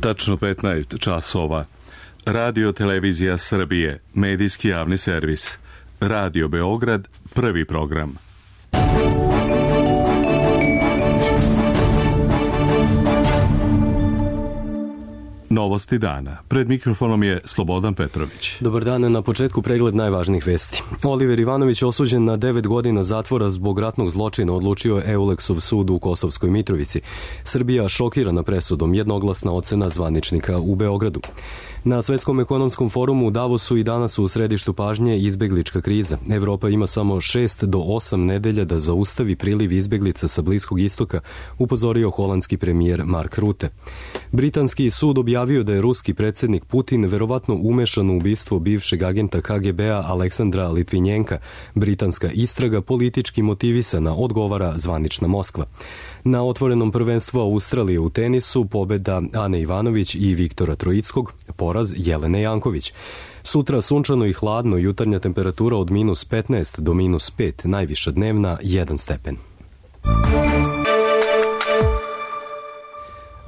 Tačno 15 časova. Radio Televizija Srbije, medijski javni servis. Radio Beograd, prvi program. Novosti dana. Pred mikrofonom je Slobodan Petrović. Dobar dan, na početku pregled najvažnijih vesti. Oliver Ivanović osuđen na 9 godina zatvora zbog ratnog zločina, odlučio je Euleksov sud u Kosovskoj Mitrovici. Srbija šokirana presudom, jednoglasna ocena zvaničnika u Beogradu. Na Svetskom ekonomskom forumu u Davosu i danas su u središtu pažnje izbeglička kriza. Evropa ima samo 6 do 8 nedelja da zaustavi priliv izbeglica sa Bliskog istoka, upozorio holandski premijer Mark Rutte. Britanski sud objavio da je ruski predsjednik Putin verovatno umešan u ubistvo bivšeg agenta KGB-a Aleksandra Litvinjenka. Britanska istraga politički motivisana, odgovara zvanična Moskva. Na otvorenom prvenstvu Australije u tenisu pobeda Ane Ivanović i Viktora Troickog, poraz Jelene Janković. Sutra sunčano i hladno, jutarnja temperatura od -15 do -5, najviša dnevna 1 stepen.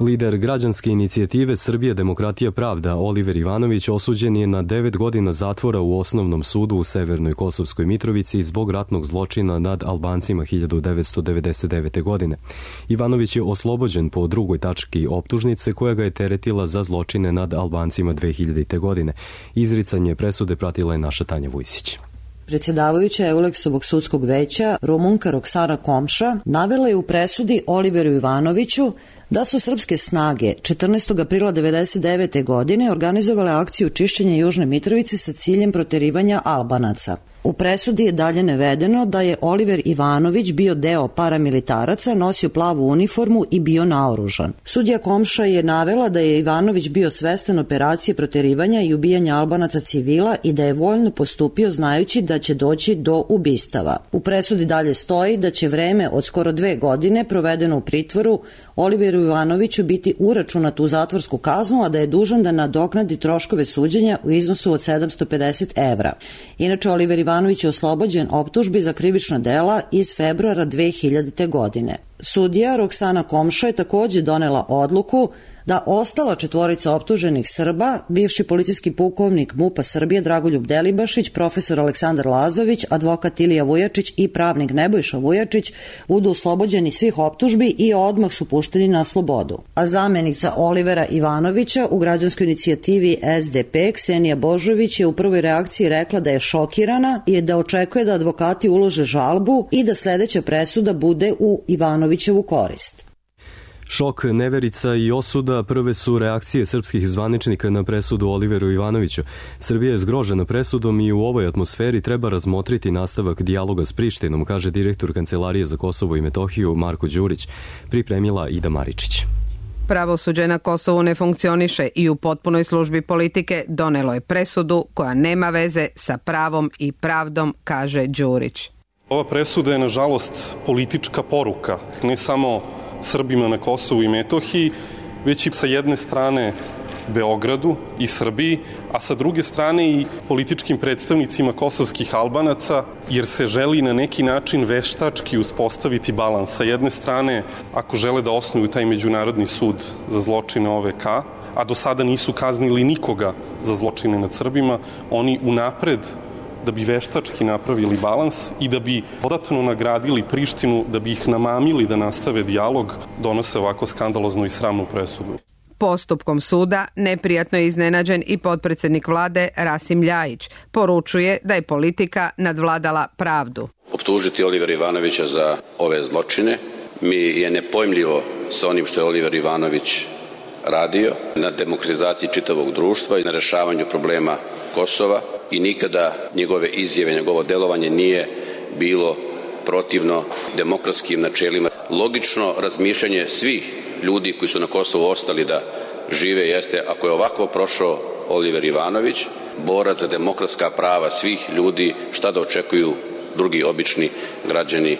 Lider građanske inicijative Srbije demokratija pravda Oliver Ivanović osuđen je na 9 godina zatvora u osnovnom sudu u Severnoj Kosovskoj Mitrovici zbog ratnog zločina nad Albancima 1999. godine. Ivanović je oslobođen po drugoj tački optužnice koja ga je teretila za zločine nad Albancima 2000. godine. Izricanje presude pratila je naša Tanja Vujsić. Predsjedavajuća Euleksovog sudskog veća, Rumunka Roksana Komša, navela je u presudi Oliveru Ivanoviću da su srpske snage 14. aprila 1999. godine organizovale akciju čišćenja Južne Mitrovice sa ciljem proterivanja Albanaca. U presudi je dalje navedeno da je Oliver Ivanović bio deo paramilitaraca, nosio plavu uniformu i bio naoružan. Sudija Komša je navela da je Ivanović bio svestan operacije proterivanja i ubijanja Albanaca civila i da je voljno postupio znajući da će doći do ubistava. U presudi dalje stoji da će vreme od skoro 2 godine provedeno u pritvoru Oliveru Ivanoviću biti uračunato u zatvorsku kaznu, a da je dužan da nadoknadi troškove suđenja u iznosu od 750 evra. Inače, Oliver Ivanović je oslobođen optužbi za krivična dela iz februara 2000. godine. Sudija Roksana Komša je također donela odluku da ostala 4 optuženih Srba, bivši policijski pukovnik MUP-a Srbije Dragoljub Delibašić, profesor Aleksandar Lazović, advokat Ilija Vujačić i pravnik Nebojša Vujačić budu oslobođeni svih optužbi i odmah su pušteni na slobodu. A zamjenica Olivera Ivanovića u građanskoj inicijativi SDP Ksenija Božović je u prvoj reakciji rekla da je šokirana i da očekuje da advokati ulože žalbu i da sljedeća presuda bude u Ivanovićevu korist. Šok, neverica i osuda prve su reakcije srpskih zvaničnika na presudu Oliveru Ivanoviću. Srbija je zgrožena presudom i u ovoj atmosferi treba razmotriti nastavak dijaloga s Prištinom, kaže direktor Kancelarije za Kosovo i Metohiju Marko Đurić, pripremila Ida Maričić. Pravosuđe na Kosovu ne funkcioniše i u potpunoj službi politike donelo je presudu koja nema veze sa pravom i pravdom, kaže Đurić. Ova presuda je nažalost politička poruka, ne samo Srbima na Kosovu i Metohiji, već i sa jedne strane Beogradu i Srbiji, a sa druge strane i političkim predstavnicima kosovskih Albanaca, jer se želi na neki način veštački uspostaviti balans. Sa jedne strane, ako žele da osnuju taj međunarodni sud za zločine OVK, a do sada nisu kaznili nikoga za zločine nad Srbima, oni unapred da bi veštački napravili balans i da bi dodatno nagradili Prištinu, da bi ih namamili da nastave dijalog, donose ovako skandaloznu i sramnu presudu. Postupkom suda neprijatno je iznenađen i potpredsjednik vlade Rasim Ljajić. Poručuje da je politika nadvladala pravdu. Optužiti Olivera Ivanovića za ove zločine mi je nepojmljivo sa onim što je Oliver Ivanović radio na demokratizaciji čitavog društva i na rešavanju problema Kosova i nikada njegove izjave, njegovo delovanje nije bilo protivno demokratskim načelima. Logično razmišljanje svih ljudi koji su na Kosovu ostali da žive jeste, ako je ovako prošao Oliver Ivanović, borac za demokratska prava svih ljudi, šta da očekuju drugi obični građani.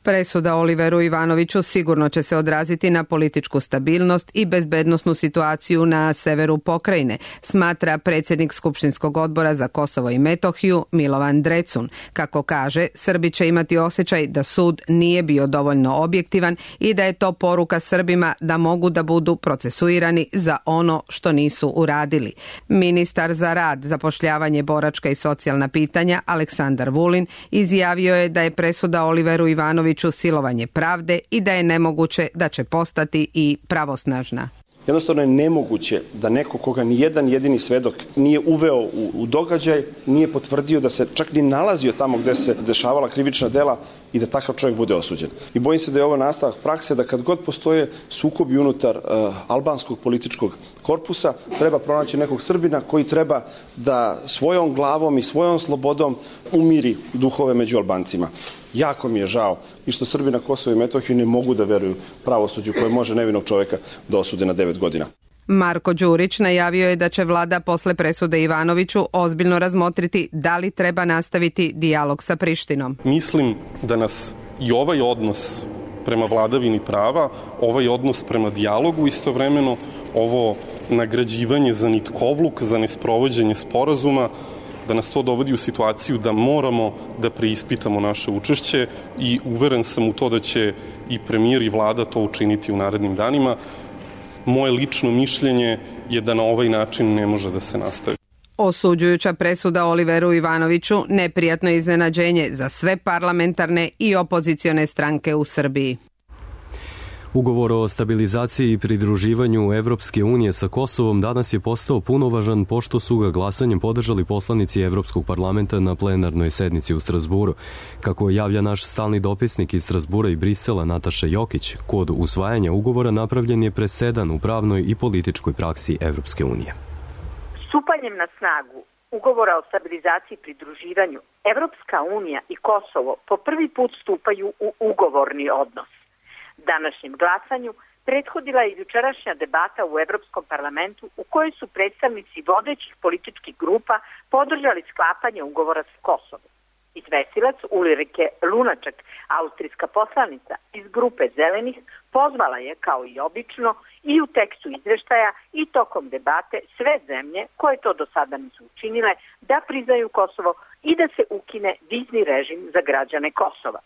Presuda Oliveru Ivanoviću sigurno će se odraziti na političku stabilnost i bezbednosnu situaciju na severu pokrajine, smatra predsjednik Skupštinskog odbora za Kosovo i Metohiju Milovan Drecun. Kako kaže, Srbi će imati osjećaj da sud nije bio dovoljno objektivan i da je to poruka Srbima da mogu da budu procesuirani za ono što nisu uradili. Ministar za rad, zapošljavanje, boračka i socijalna pitanja Aleksandar Vulin izjavio je da je presuda Oliveru Ivanoviću silovanje pravde i da je nemoguće da će postati i pravosnažna. Jednostavno je nemoguće da neko koga ni jedan jedini svedok nije uveo u događaj, nije potvrdio da se čak ni nalazio tamo gde se dešavala krivična dela i da takav čovjek bude osuđen. I bojim se da je ovo nastavak prakse da kad god postoje sukobi unutar albanskog političkog korpusa, treba pronaći nekog Srbina koji treba da svojom glavom i svojom slobodom umiri duhove među Albancima. Jako mi je žao i što Srbi na Kosovu i Metohiji ne mogu da veruju pravosuđu koje može nevinog čovjeka da osude na 9 godina. Marko Đurić najavio je da će vlada posle presude Ivanoviću ozbiljno razmotriti da li treba nastaviti dijalog sa Prištinom. Mislim da nas i ovaj odnos prema vladavini prava, ovaj odnos prema dijalogu, istovremeno ovo nagrađivanje za nitkovluk, za nesprovođenje sporazuma, da nas to dovodi u situaciju da moramo da preispitamo naše učešće i uveren sam u to da će i premijer i vlada to učiniti u narednim danima. Moje lično mišljenje je da na ovaj način ne može da se nastavi. Osuđujuća presuda Oliveru Ivanoviću neprijatno iznenađenje za sve parlamentarne i opozicione stranke u Srbiji. Ugovor o stabilizaciji i pridruživanju Evropske unije sa Kosovom danas je postao punovažan pošto su ga glasanjem podržali poslanici Evropskog parlamenta na plenarnoj sednici u Strazburu. Kako javlja naš stalni dopisnik iz Strazbura i Brisela Nataša Jokić, kod usvajanja ugovora napravljen je presedan u pravnoj i političkoj praksi Evropske unije. Stupanjem na snagu Ugovora o stabilizaciji i pridruživanju, Evropska unija i Kosovo po prvi put stupaju u ugovorni odnos. Današnjem glasanju prethodila je jučerašnja debata u Evropskom parlamentu u kojoj su predstavnici vodećih političkih grupa podržali sklapanje ugovora s Kosovom. Izvestilac Ulrike Lunaček, austrijska poslanica iz grupe Zelenih, pozvala je, kao i obično, i u tekstu izveštaja i tokom debate sve zemlje koje to do sada nisu učinile da priznaju Kosovo i da se ukine vizni režim za građane Kosova.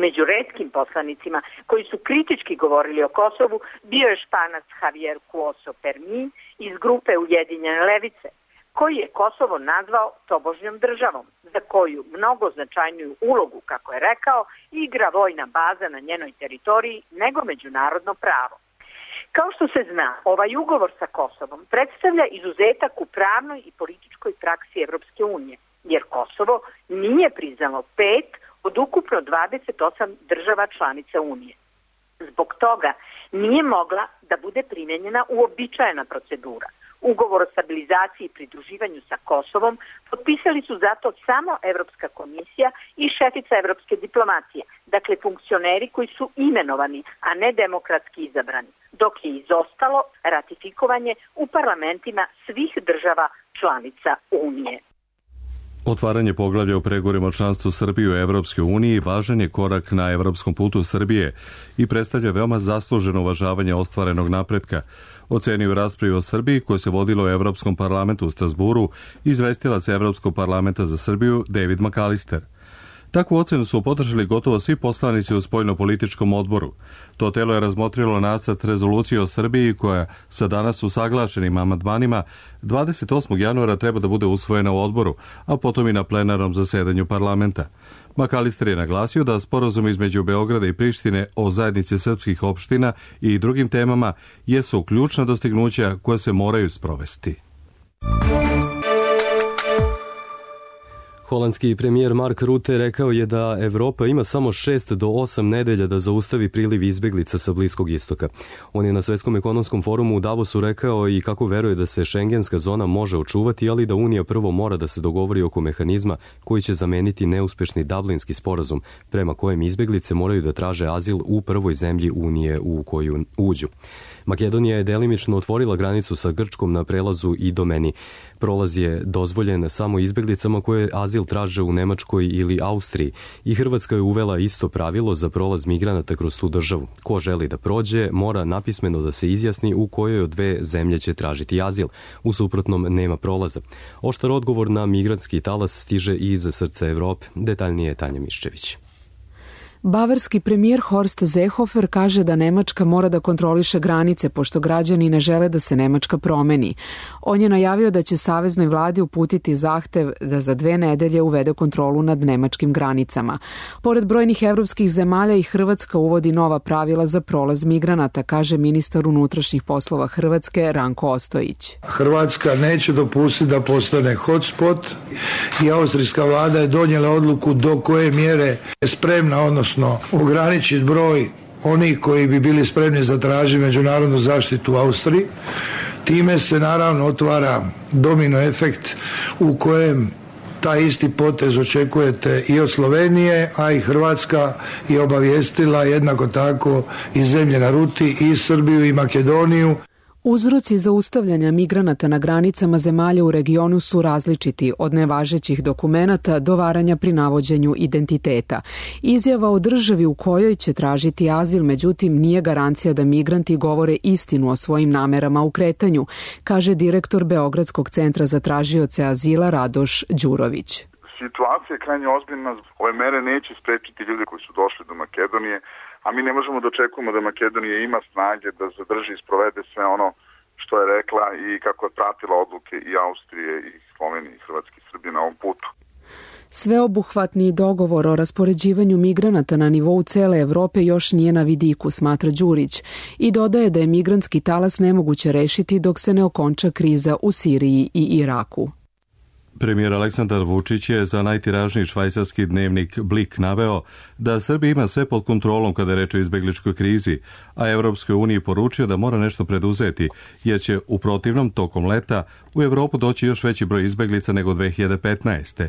Među retkim poslanicima koji su kritički govorili o Kosovu bio je Španac Javier Cuoso Permin iz grupe Ujedinjene levice, koji je Kosovo nazvao tobožnjom državom, za koju mnogo značajniju ulogu, kako je rekao, igra vojna baza na njenoj teritoriji nego međunarodno pravo. Kao što se zna, ovaj ugovor sa Kosovom predstavlja izuzetak u pravnoj i političkoj praksi Evropske unije, jer Kosovo nije priznalo 5 od ukupno 28 država članica Unije. Zbog toga nije mogla da bude primjenjena uobičajena procedura. Ugovor o stabilizaciji i pridruživanju sa Kosovom potpisali su zato samo Evropska komisija i šefica evropske diplomacije, dakle funkcioneri koji su imenovani, a ne demokratski izabrani, dok je izostalo ratifikovanje u parlamentima svih država članica Unije. Otvaranje poglavlja o pregovorima o članstvu Srbije u Evropskoj uniji važan je korak na evropskom putu Srbije i predstavlja veoma zasluženo uvažavanje ostvarenog napretka, ocenio u raspravi o Srbiji koje se vodilo u Evropskom parlamentu u Strazburu izvestilac Evropskog parlamenta za Srbiju David McAllister. Takvu ocenu su podržali gotovo svi poslanici u spoljnopolitičkom odboru. To telo je razmotrilo nacrt rezolucije o Srbiji koja sa danas usaglašenim amandmanima 28. januara treba da bude usvojena u odboru, a potom i na plenarnom zasedanju parlamenta. McAllister je naglasio da sporazum između Beograda i Prištine o zajednici srpskih opština i drugim temama jesu ključna dostignuća koja se moraju sprovesti. Holandski premijer Mark Rutte rekao je da Evropa ima samo 6 do 8 nedelja da zaustavi priliv izbeglica sa Bliskog istoka. On je na Svetskom ekonomskom forumu u Davosu rekao i kako veruje da se šengenska zona može očuvati, ali da Unija prvo mora da se dogovori oko mehanizma koji će zameniti neuspešni Dublinski sporazum, prema kojem izbeglice moraju da traže azil u prvoj zemlji Unije u koju uđu. Makedonija je delimično otvorila granicu sa Grčkom na prelazu i Domeni. Prolaz je dozvoljen samo izbjeglicama koje azil traže u Nemačkoj ili Austriji i Hrvatska je uvela isto pravilo za prolaz migranata kroz tu državu. Ko želi da prođe, mora napismeno da se izjasni u kojoj od dve zemlje će tražiti azil. U suprotnom nema prolaza. Oštar odgovor na migrantski talas stiže i iz srca Evrope. Detaljnije je Tanja Miščević. Bavarski premijer Horst Seehofer kaže da Nemačka mora da kontroliše granice, pošto građani ne žele da se Nemačka promeni. On je najavio da će saveznoj vladi uputiti zahtev da za 2 nedelje uvede kontrolu nad nemačkim granicama. Pored brojnih evropskih zemalja i Hrvatska uvodi nova pravila za prolaz migranata, kaže ministar unutrašnjih poslova Hrvatske Ranko Ostojić. Hrvatska neće dopustiti da postane hotspot i austrijska vlada je donijela odluku do koje mjere je spremna, odnosno ograničiti broj onih koji bi bili spremni zatražiti međunarodnu zaštitu u Austriji. Time se naravno otvara domino efekt u kojem taj isti potez očekujete i od Slovenije, a i Hrvatska je obavijestila jednako tako i zemlje na ruti, i Srbiju i Makedoniju. Uzroci zaustavljanja migranata na granicama zemalja u regionu su različiti, od nevažećih dokumenata do varanja pri navođenju identiteta. Izjava o državi u kojoj će tražiti azil, međutim, nije garancija da migranti govore istinu o svojim namerama u kretanju, kaže direktor Beogradskog centra za tražioce azila Radoš Đurović. Situacija je krajnje ozbiljna. Ove mere neće sprečiti ljude koji su došli do Makedonije, a mi ne možemo da očekujemo da Makedonija ima snage da zadrži i sprovede sve ono što je rekla i kako je pratila odluke i Austrije i Slovenije i Hrvatske i Srbije na ovom putu. Sveobuhvatni dogovor o raspoređivanju migranata na nivou cele Evrope još nije na vidiku, smatra Đurić, i dodaje da je migrantski talas nemoguće rešiti dok se ne okonča kriza u Siriji i Iraku. Premijer Aleksandar Vučić je za najtiražniji švajcarski dnevnik Blik naveo da Srbija ima sve pod kontrolom kada je reč o izbegličkoj krizi, a Evropskoj uniji poručio da mora nešto preduzeti, jer će u protivnom tokom leta u Evropu doći još veći broj izbeglica nego 2015.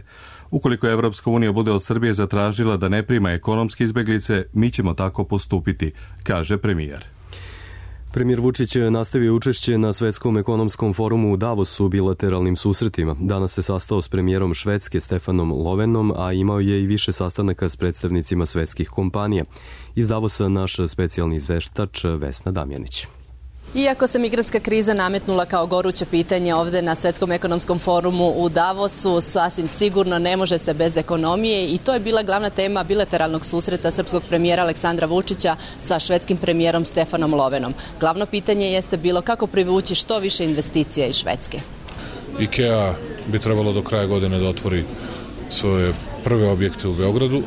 Ukoliko Evropska unija bude od Srbije zatražila da ne prima ekonomske izbeglice, mi ćemo tako postupiti, kaže premijer. Premijer Vučić je nastavio učešće na Svetskom ekonomskom forumu u Davosu bilateralnim susretima. Danas se sastao s premijerom Švedske Stefanom Lovenom, a imao je i više sastanaka s predstavnicima svetskih kompanija. Iz Davosa naš specijalni izveštač Vesna Damjanić. Iako se migrantska kriza nametnula kao goruće pitanje ovde na Svetskom ekonomskom forumu u Davosu, sasvim sigurno ne može se bez ekonomije i to je bila glavna tema bilateralnog susreta srpskog premijera Aleksandra Vučića sa švedskim premijerom Stefanom Lovenom. Glavno pitanje jeste bilo kako privući što više investicija iz Švedske. IKEA bi trebalo do kraja godine da otvori svoje prve objekte u Beogradu.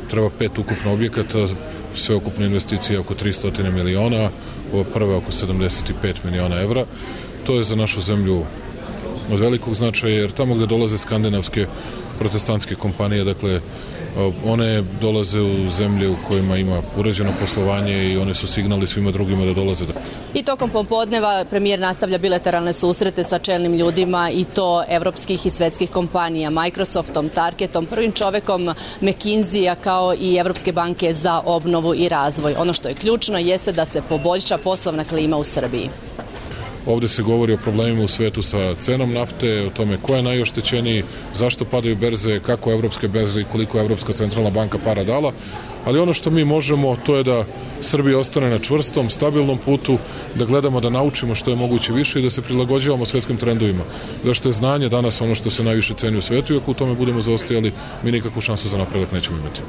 Treba 5 ukupno objekata, sve ukupne investicije oko 300 miliona, ovo prve oko 75 miliona evra. To je za našu zemlju od velikog značaja, jer tamo gde dolaze skandinavske protestantske kompanije, dakle, one dolaze u zemlje u kojima ima uređeno poslovanje i one su signali svima drugima da dolaze. I tokom popodneva premijer nastavlja bilateralne susrete sa čelnim ljudima i to evropskih i svetskih kompanija, Microsoftom, Targetom, prvim čovekom McKinsey-a kao i Evropske banke za obnovu i razvoj. Ono što je ključno jeste da se poboljša poslovna klima u Srbiji. Ovde se govori o problemima u svetu sa cenom nafte, o tome ko je najoštećeniji, zašto padaju berze, kako evropske berze i koliko je Evropska centralna banka para dala. Ali ono što mi možemo, to je da Srbija ostane na čvrstom, stabilnom putu, da gledamo da naučimo što je moguće više i da se prilagođavamo svetskim trendovima. Zašto je znanje danas ono što se najviše ceni u svetu i ako u tome budemo zaostajali, mi nikakvu šansu za napredak nećemo imati.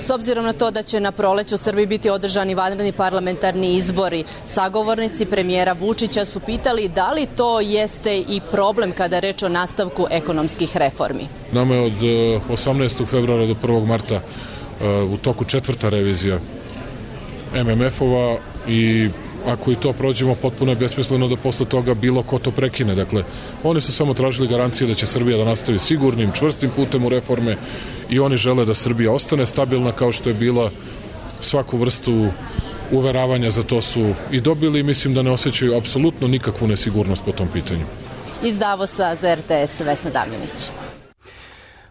S obzirom na to da će na proleću u Srbiji biti održani vanredni parlamentarni izbori, sagovornici premijera Vučića su pitali da li to jeste i problem kada je reč o nastavku ekonomskih reformi. Nama je od 18. februara do 1. marta u toku 4. revizija MMF-ova i ako i to prođemo, potpuno je besmisleno da posle toga bilo ko to prekine. Dakle, oni su samo tražili garancije da će Srbija da nastavi sigurnim, čvrstim putem u reforme i oni žele da Srbija ostane stabilna kao što je bila. Svaku vrstu uveravanja za to su i dobili i mislim da ne osjećaju apsolutno nikakvu nesigurnost po tom pitanju. Iz Davosa za RTS Vesna Damjanić.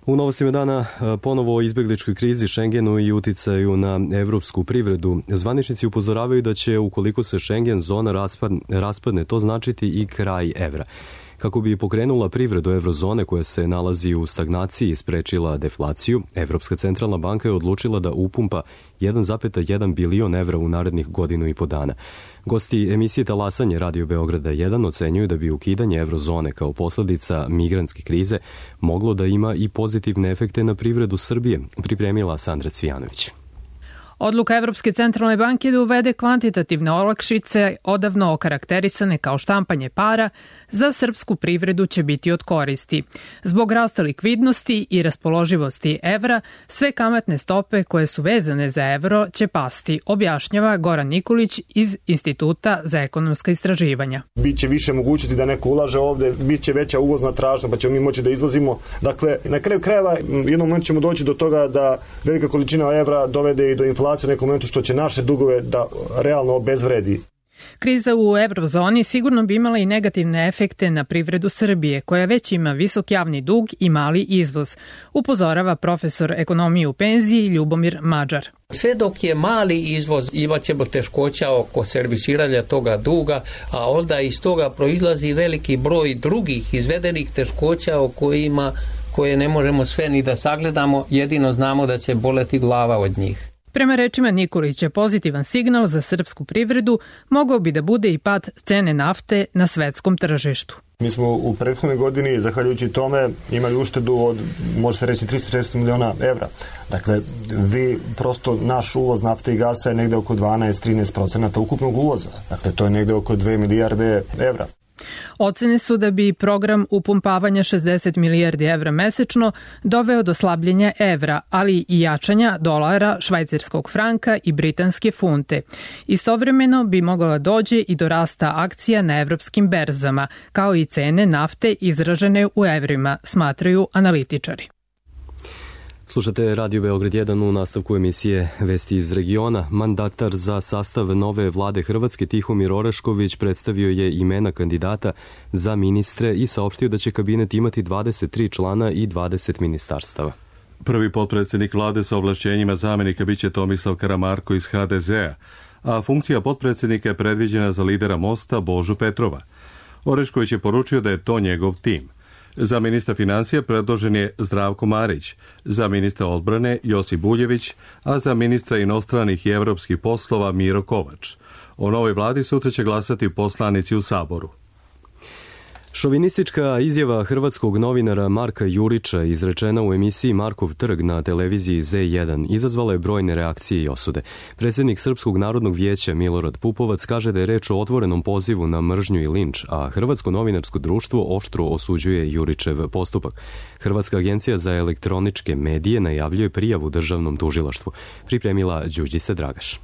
U novostima dana ponovo o izbegličkoj krizi, Schengenu i uticaju na evropsku privredu. Zvaničnici upozoravaju da će, ukoliko se Schengen zona raspadne, to značiti i kraj evra. Kako bi pokrenula privredu eurozone koja se nalazi u stagnaciji i sprečila deflaciju, Evropska centralna banka je odlučila da upumpa 1,1 bilion evra u narednih godinu i po dana. Gosti emisije Talasanje Radio Beograda 1 ocenjuju da bi ukidanje eurozone kao posledica migrantske krize moglo da ima i pozitivne efekte na privredu Srbije, pripremila Sandra Cvijanović. Odluka Evropske centralne banke da uvede kvantitativne olakšice, odavno okarakterisane kao štampanje para, za srpsku privredu će biti od koristi. Zbog rasta likvidnosti i raspoloživosti evra, sve kamatne stope koje su vezane za evro će pasti, objašnjava Goran Nikolić iz Instituta za ekonomska istraživanja. Biće više mogućnosti da neko ulaže ovde, biće veća uvozna tražnja, pa ćemo mi moći da izvozimo. Dakle, na kraju krajeva jednom momentu ćemo doći do toga da velika količina evra dovede i do inflacije u nekom momentu, što će naše dugove da realno obezvredi. Kriza u eurozoni sigurno bi imala i negativne efekte na privredu Srbije, koja već ima visok javni dug i mali izvoz, upozorava profesor ekonomije u penziji Ljubomir Mađar. Sve dok je mali izvoz, imat ćemo teškoća oko servisiranja toga duga, a onda iz toga proizlazi veliki broj drugih izvedenih teškoća o koje ne možemo sve ni da sagledamo, jedino znamo da će boleti glava od njih. Prema rečima Nikolića, pozitivan signal za srpsku privredu mogao bi da bude i pad cene nafte na svetskom tržištu. Mi smo u prethodnoj godini, zahvaljujući tome, imali uštedu od, može se reći, 360 miliona evra. Dakle, prosto naš uvoz nafte i gasa je negde oko 12-13% ukupnog uvoza. Dakle, to je negde oko 2 milijarde evra. Ocene su da bi program upumpavanja 60 milijardi evra mesečno doveo do slabljenja evra, ali i jačanja dolara, švajcarskog franka i britanske funte. Istovremeno bi mogla dođe i do rasta akcija na evropskim berzama, kao i cene nafte izražene u evrima, smatraju analitičari. Slušate Radio Beograd 1 u nastavku emisije Vesti iz regiona. Mandatar za sastav nove vlade Hrvatske Tihomir Orešković predstavio je imena kandidata za ministre i saopštio da će kabinet imati 23 člana i 20 ministarstava. Prvi potpredsjednik vlade sa ovlašćenjima zamenika biće Tomislav Karamarko iz HDZ-a, a funkcija potpredsjednika je predviđena za lidera Mosta Božu Petrova. Orešković je poručio da je to njegov tim. Za ministra financija predložen je Zdravko Marić, za ministra odbrane Josip Buljević, a za ministra inostranih i evropskih poslova Miro Kovač. O novoj vladi sutra će glasati poslanici u Saboru. Šovinistička izjava hrvatskog novinara Marka Jurića izrečena u emisiji Markov trg na televiziji Z1 izazvala je brojne reakcije i osude. Predsjednik Srpskog narodnog vijeća Milorad Pupovac kaže da je reč o otvorenom pozivu na mržnju i linč, a Hrvatsko novinarsko društvo oštro osuđuje Jurićev postupak. Hrvatska agencija za elektroničke medije najavljuje prijavu državnom tužilaštvu. Pripremila Đurđica Dragaš.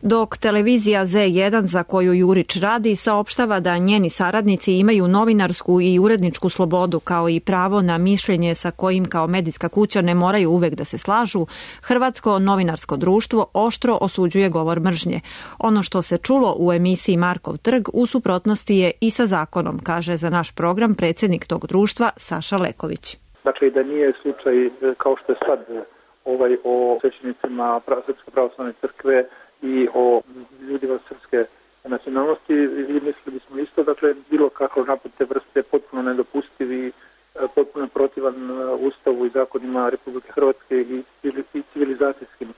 Dok televizija Z1 za koju Jurić radi saopštava da njeni saradnici imaju novinarsku i uredničku slobodu kao i pravo na mišljenje sa kojim kao medijska kuća ne moraju uvek da se slažu, Hrvatsko novinarsko društvo oštro osuđuje govor mržnje. Ono što se čulo u emisiji Markov trg u suprotnosti je i sa zakonom, kaže za naš program predsjednik tog društva Saša Leković. Dakle, da nije slučaj kao što je sad o svećenicima Srpske pravoslavne crkve i o ljudima srpske nacionalnosti, i mislili bismo isto, dakle, bilo kako napad te vrste je potpuno nedopustiv i potpuno protivan Ustavu i zakonima Republike Hrvatske i civilizacijskim.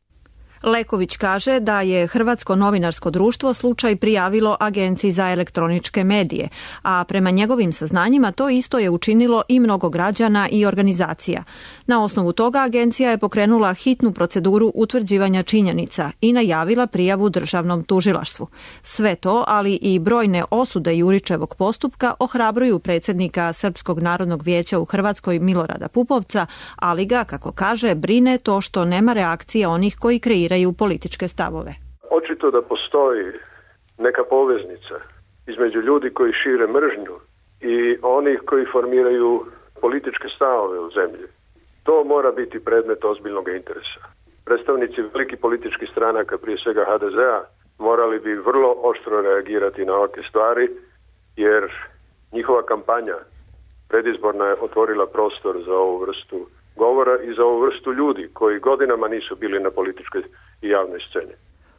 Leković kaže da je Hrvatsko novinarsko društvo slučaj prijavilo Agenciji za elektroničke medije, a prema njegovim saznanjima to isto je učinilo i mnogo građana i organizacija. Na osnovu toga agencija je pokrenula hitnu proceduru utvrđivanja činjenica i najavila prijavu državnom tužilaštvu. Sve to, ali i brojne osude Jurićevog postupka ohrabruju predsjednika Srpskog narodnog vijeća u Hrvatskoj Milorada Pupovca, ali ga, kako kaže, brine to što nema reakcije onih koji kreiraju političke stavove. Očito da postoji neka poveznica između ljudi koji šire mržnju i onih koji formiraju političke stavove u zemlji. To mora biti predmet ozbiljnog interesa. Predstavnici velikih političkih stranaka, prije svega HDZ-a, morali bi vrlo oštro reagirati na ovakve stvari, jer njihova kampanja predizborna je otvorila prostor za ovu vrstu govora i za ovu vrstu ljudi koji godinama nisu bili na političkoj i javnoj sceni.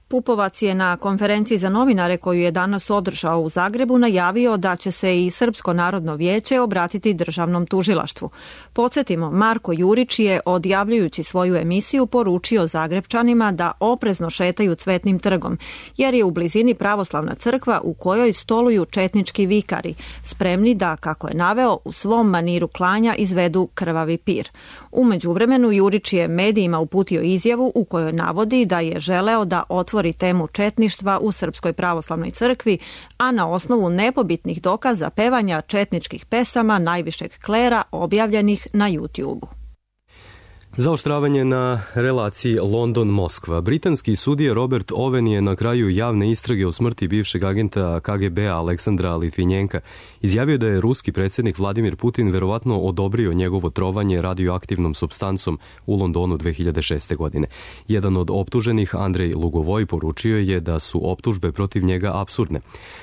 Pupovac je na konferenciji za novinare koju je danas održao u Zagrebu najavio da će se i Srpsko narodno vijeće obratiti državnom tužilaštvu. Podsjetimo, Marko Jurić je, odjavljujući svoju emisiju, poručio Zagrebčanima da oprezno šetaju Cvetnim trgom, jer je u blizini pravoslavna crkva u kojoj stoluju četnički vikari, spremni da, kako je naveo, u svom maniru klanja izvedu krvavi pir. U međuvremenu Jurić je medijima uputio izjavu u kojoj navodi da je želeo da otvori temu četništva u Srpskoj pravoslavnoj crkvi, a na osnovu nepobitnih dokaza pevanja četničkih pesama najvišeg klera objavljenih na YouTube-u. Zaoštravanje na relaciji London-Moskva. Britanski sudija Robert Owen je na kraju javne istrage o smrti bivšeg agenta KGB-a Aleksandra Litvinjenka izjavio da je ruski predsjednik Vladimir Putin verovatno odobrio njegovo trovanje radioaktivnom supstancom u Londonu 2006. godine. Jedan od optuženih, Andrej Lugovoj, poručio je da su optužbe protiv njega apsurdne.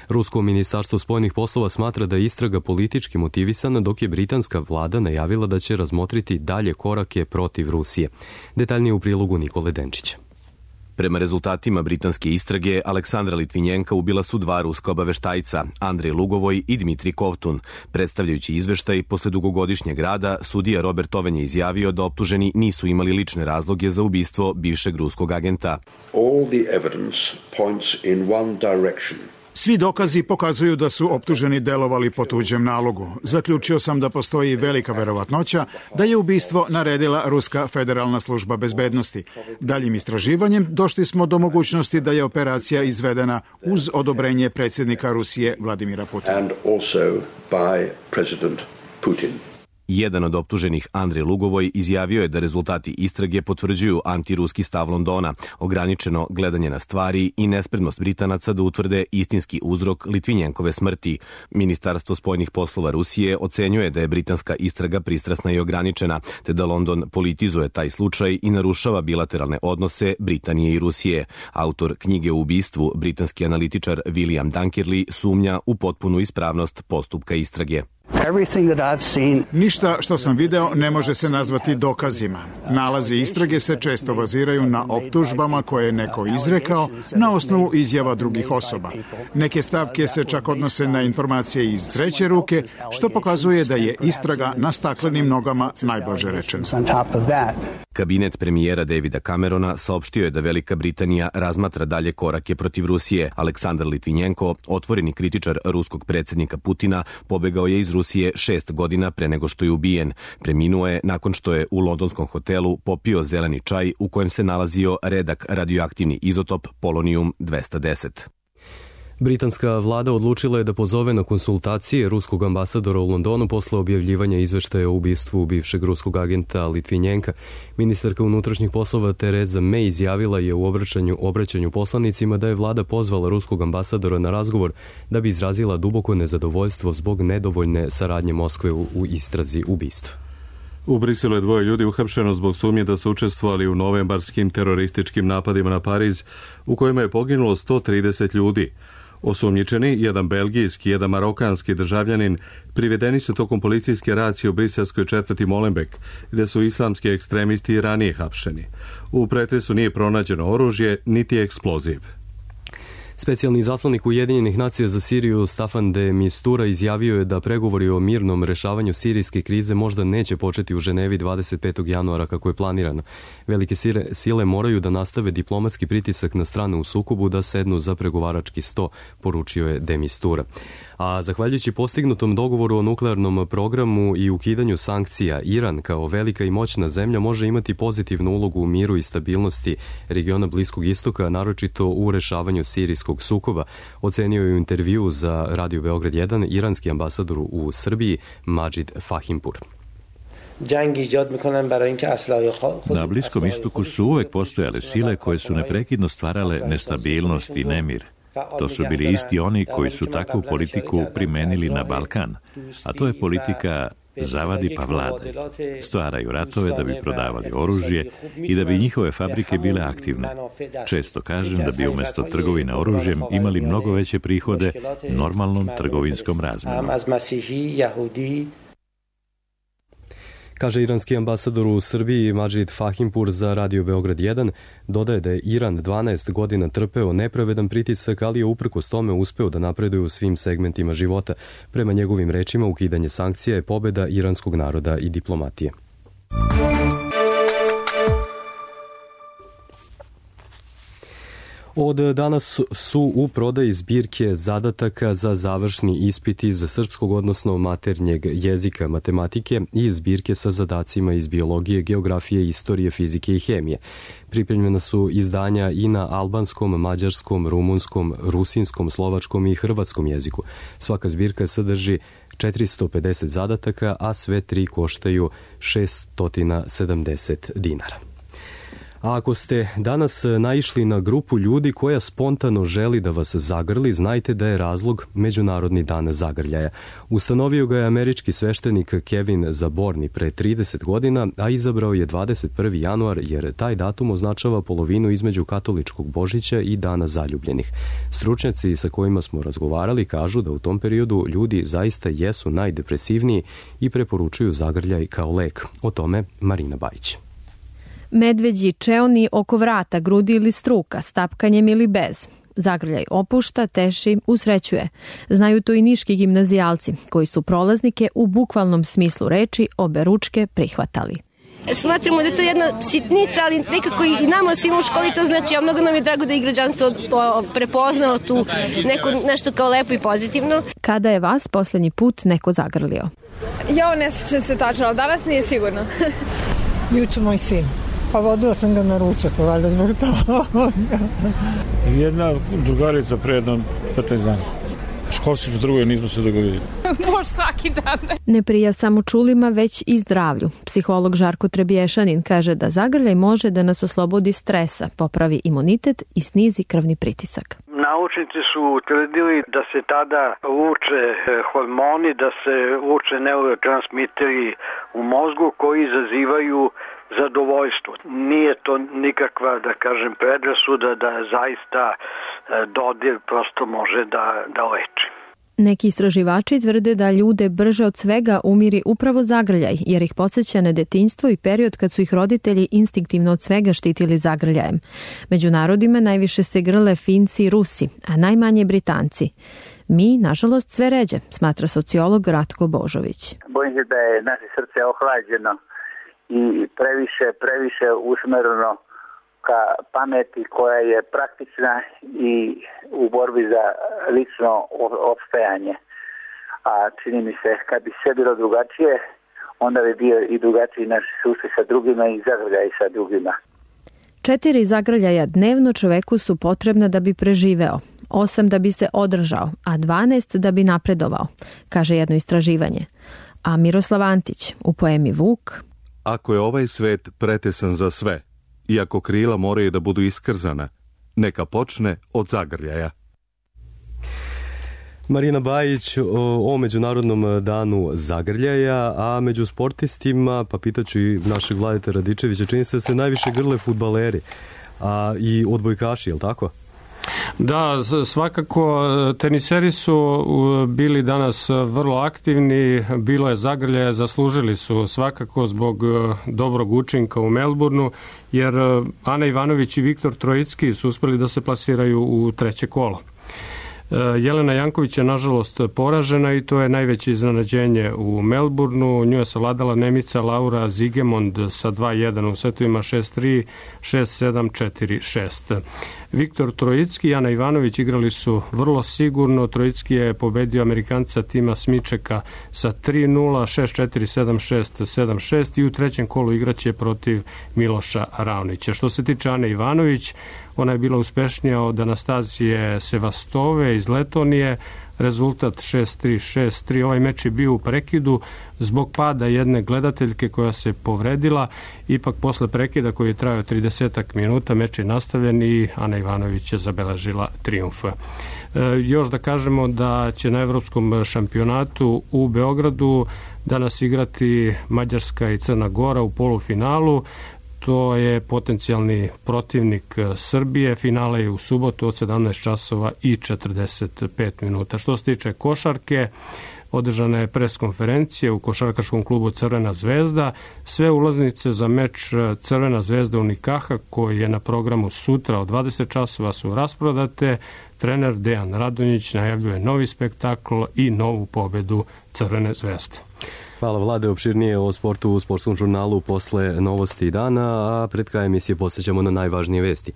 Rusko ministarstvo spoljnih poslova smatra da je istraga politički motivisana, dok je britanska vlada najavila da će razmotriti dalje korake protiv Rusije. Detaljnije u prilogu Nikole Denčića. Prema rezultatima britanske istrage, Aleksandra Litvinjenka ubila su dva ruska obaveštajca, Andrej Lugovoj i Dmitri Kovtun. Predstavljajući izveštaj posle dugogodišnjeg rada, sudija Robert Owen je izjavio da optuženi nisu imali lične razloge za ubistvo bivšeg ruskog agenta. All the evidence points in one direction. Svi dokazi pokazuju da su optuženi delovali po tuđem nalogu. Zaključio sam da postoji velika verovatnoća da je ubistvo naredila Ruska federalna služba bezbednosti. Daljim istraživanjem došli smo do mogućnosti da je operacija izvedena uz odobrenje predsjednika Rusije Vladimira Putina. And also by President Putin. Jedan od optuženih, Andrej Lugovoj, izjavio je da rezultati istrage potvrđuju antiruski stav Londona, ograničeno gledanje na stvari i nespremnost Britanaca da utvrde istinski uzrok Litvinjenkove smrti. Ministarstvo spoljnih poslova Rusije ocenjuje da je britanska istraga pristrasna i ograničena, te da London politizuje taj slučaj i narušava bilateralne odnose Britanije i Rusije. Autor knjige o ubistvu, britanski analitičar William Dunkerley, sumnja u potpunu ispravnost postupka istrage. Ništa što sam video ne može se nazvati dokazima. Nalazi istrage se često baziraju na optužbama koje je neko izrekao na osnovu izjava drugih osoba. Neke stavke se čak odnose na informacije iz treće ruke, što pokazuje da je istraga na staklenim nogama, najblaže rečeno. Kabinet premijera Davida Camerona saopštio je da Velika Britanija razmatra dalje korake protiv Rusije. Aleksandar Litvinjenko, otvoreni kritičar ruskog predsjednika Putina, pobegao je iz Rusije 6 godina pre nego što je ubijen. Preminuo je nakon što je u londonskom hotelu popio zeleni čaj u kojem se nalazio redak radioaktivni izotop polonijum 210. Britanska vlada odlučila je da pozove na konsultacije ruskog ambasadora u Londonu posle objavljivanja izveštaja o ubistvu bivšeg ruskog agenta Litvinjenka. Ministarka unutrašnjih poslova Tereza May izjavila je u obraćanju poslanicima da je vlada pozvala ruskog ambasadora na razgovor da bi izrazila duboko nezadovoljstvo zbog nedovoljne saradnje Moskve u istrazi ubistva. U Briselu je 2 ljudi uhapšeno zbog sumnje da su učestvovali u novembarskim terorističkim napadima na Pariz, u kojima je poginulo 130 ljudi. Osumnjičeni, jedan belgijski, jedan marokanski državljanin, privedeni su tokom policijske racije u briselskoj četvrti Molenbeek, gde su islamski ekstremisti ranije hapšeni. U pretresu nije pronađeno oružje, niti eksploziv. Specijalni zaslanik Ujedinjenih nacija za Siriju Staffan de Mistura izjavio je da pregovori o mirnom rešavanju sirijske krize možda neće početi u Ženevi 25. januara kako je planirano. Velike sile moraju da nastave diplomatski pritisak na strane u sukobu da sednu za pregovarački sto, poručio je de Mistura. A zahvaljujući postignutom dogovoru o nuklearnom programu i ukidanju sankcija, Iran kao velika i moćna zemlja može imati pozitivnu ulogu u miru i stabilnosti regiona Bliskog istoka, naročito u rešavanju sirijskog sukoba, ocenio je u intervju za Radio Beograd 1 iranski ambasador u Srbiji Majid Fahimpur. Na Bliskom istoku su uvek postojale sile koje su neprekidno stvarale nestabilnost i nemir. To su bili isti oni koji su takvu politiku primenili na Balkan, a to je politika zavadi pa vladaj. Stvaraju ratove da bi prodavali oružje i da bi njihove fabrike bile aktivne. Često kažem da bi umjesto trgovine oružjem imali mnogo veće prihode normalnom trgovinskom razmjenom. Kaže iranski ambasador u Srbiji Madžid Fahimpur za Radio Beograd 1, dodaje da je Iran 12 godina trpeo nepravedan pritisak, ali je uprkos tome uspeo da napreduje u svim segmentima života. Prema njegovim rečima, ukidanje sankcija je pobeda iranskog naroda i diplomatije. Od danas su u prodaji zbirke zadataka za završni ispit iz srpskog, odnosno maternjeg jezika, matematike i zbirke sa zadacima iz biologije, geografije, istorije, fizike i hemije. Pripremljena su izdanja i na albanskom, mađarskom, rumunskom, rusinskom, slovačkom i hrvatskom jeziku. Svaka zbirka sadrži 450 zadataka, a sve tri koštaju 670 dinara. A ako ste danas naišli na grupu ljudi koja spontano želi da vas zagrli, znajte da je razlog Međunarodni dan zagrljaja. Ustanovio ga je američki sveštenik Kevin Zaborni pre 30 godina, a izabrao je 21. januar jer taj datum označava polovinu između katoličkog Božića i Dana zaljubljenih. Stručnjaci sa kojima smo razgovarali kažu da u tom periodu ljudi zaista jesu najdepresivniji i preporučuju zagrljaj kao lek. O tome Marina Bajić. Medveđi, čeoni oko vrata, grudi ili struka, stapkanjem ili bez. Zagrljaj opušta, teši, usrećuje. Znaju to i niški gimnazijalci, koji su prolaznike u bukvalnom smislu reči oberučke prihvatali. Smatramo da je to jedna sitnica, ali nekako i nama svima u školi to znači, a mnogo nam je drago da je građanstvo prepoznalo tu nešto kao lepo i pozitivno. Kada je vas posljednji put neko zagrlio? Ja ne sjećam se tačno, ali danas nije sigurno. Juče moj sin. Pa vodila sam ga na ručak, valjda zbog toga. Jedna drugarica pre jedno 15 dana. Školski u drugoj nismo se dogodili. Može svaki dan. Ne prija samo čulima, već i zdravlju. Psiholog Žarko Trebješanin kaže da zagrljaj može da nas oslobodi stresa, popravi imunitet i snizi krvni pritisak. Naučnici su tvrdili da se tada luče hormoni, da se luče neurotransmiteri u mozgu koji izazivaju zadovoljstvo. Nije to nikakva, da kažem, predrasuda da zaista dodir prosto može da leči. Neki istraživači tvrde da ljude brže od svega umiri upravo zagrljaj, jer ih podsjeća na detinjstvo i period kad su ih roditelji instinktivno od svega štitili zagrljajem. Među narodima najviše se grle Finci i Rusi, a najmanje Britanci. Mi, nažalost, sve ređe, smatra sociolog Ratko Božović. Bojim se da je naše srce ohlađeno i previše usmereno ka pameti koja je praktična i u borbi za lično opstajanje. A čini mi se, kad bi sve bilo drugačije, onda bi bio i drugačiji naš susret sa drugima i zagrljaj sa drugima. 4 zagrljaja dnevno čoveku su potrebna da bi preživeo, 8 da bi se održao, a 12 da bi napredovao, kaže jedno istraživanje. A Miroslav Antić u poemi Vuk: Ako je ovaj svet pretesan za sve, iako krila moraju da budu iskrzana, neka počne od zagrljaja. Marina Bajić o Međunarodnom danu zagrljaja, a među sportistima, pa pitaću i našeg Vladeta Radičevića, čini se da se najviše grle fudbaleri, a i odbojkaši, je li tako? Da, svakako teniseri su bili danas vrlo aktivni, bilo je zagrljaja, zaslužili su svakako zbog dobrog učinka u Melbourneu, jer Ana Ivanović i Viktor Trojicki su uspeli da se plasiraju u treće kolo. Jelena Janković je nažalost poražena i to je najveće iznenađenje u Melbourneu. Nju je savladala Nemica Laura Zigemond sa 2-1 u setovima 6-3, 6-7, 4-6. Viktor Trojicki i Ana Ivanović igrali su vrlo sigurno. Trojicki je pobedio Amerikanca Tima Smičeka sa 3-0, 6-4, 7-6, 7-6 i u trećem kolu igraće protiv Miloša Ravnića. Što se tiče Ane Ivanović, ona je bila uspešnija od Anastazije Sevastove iz Letonije. Rezultat 6-3, 6-3. Ovaj meč je bio u prekidu zbog pada jedne gledateljke koja se povredila. Ipak posle prekida koji je trajao 30 minuta meč je nastavljen i Ana Ivanović je zabeležila trijumf. Još da kažemo da će na Evropskom šampionatu u Beogradu danas igrati Mađarska i Crna Gora u polufinalu. To je potencijalni protivnik Srbije. Finale je u subotu od 17 časova i 45 minuta. Što se tiče košarke, održana je preskonferencija u košarkaškom klubu Crvena zvezda. Sve ulaznice za meč Crvena zvezda Unikaha koji je na programu sutra od 20 časova su rasprodate. Trener Dejan Radonjić najavljuje novi spektakl i novu pobedu Crvene zvezde. Hvala Vlade, opširnije o sportu u Sportskom žurnalu posle novosti dana, a pred krajem emisije posjećamo na najvažnije vesti.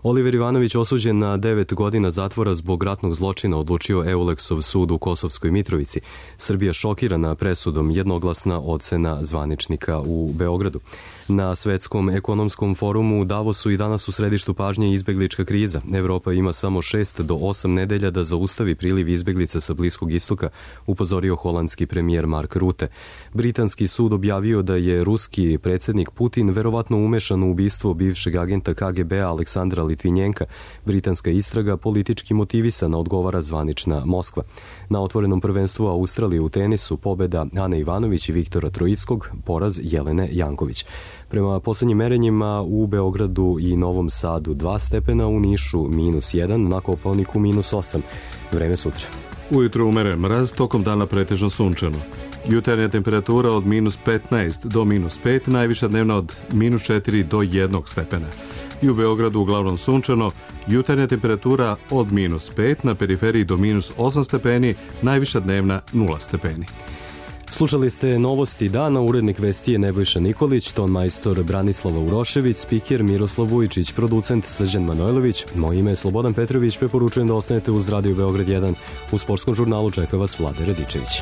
Oliver Ivanović, osuđen na 9 godina zatvora zbog ratnog zločina, odlučio Euleksov sud u Kosovskoj Mitrovici. Srbija šokirana presudom, jednoglasna ocena zvaničnika u Beogradu. Na Svetskom ekonomskom forumu u Davosu i danas u središtu pažnje izbeglička kriza. Evropa ima samo 6 do 8 nedelja da zaustavi priliv izbeglica sa Bliskog istoka, upozorio holandski premijer Mark Rutte. Britanski sud objavio da je ruski predsjednik Putin verovatno umešan u ubistvo bivšeg agenta KGB-a Aleksandra Litvinjenka. Britanska istraga politički motivisana, odgovara zvanična Moskva. Na otvorenom prvenstvu Australije u tenisu pobeda Ane Ivanović i Viktora Troickog, poraz Jelene Janković. Prema poslednjim merenjima u Beogradu i Novom Sadu 2 stepena, u Nišu -1, na Kopaoniku -8. Vreme sutra. Ujutro umeren mraz, tokom dana pretežno sunčano. Jutarnja temperatura od -15 do -5, najviša dnevna od -4 do 1 stepena. I u Beogradu uglavnom sunčano, jutarnja temperatura od -5, na periferiji do -8 stepeni, najviša dnevna 0 stepeni. Slušali ste novosti dana, urednik vesti je Nebojša Nikolić, ton majstor Branislava Urošević, spiker Miroslav Vujičić, producent Srđan Manojlović. Moje ime je Slobodan Petrović, preporučujem da ostanete uz Radio Beograd 1. U Sportskom žurnalu čeka vas Vlade Radičević.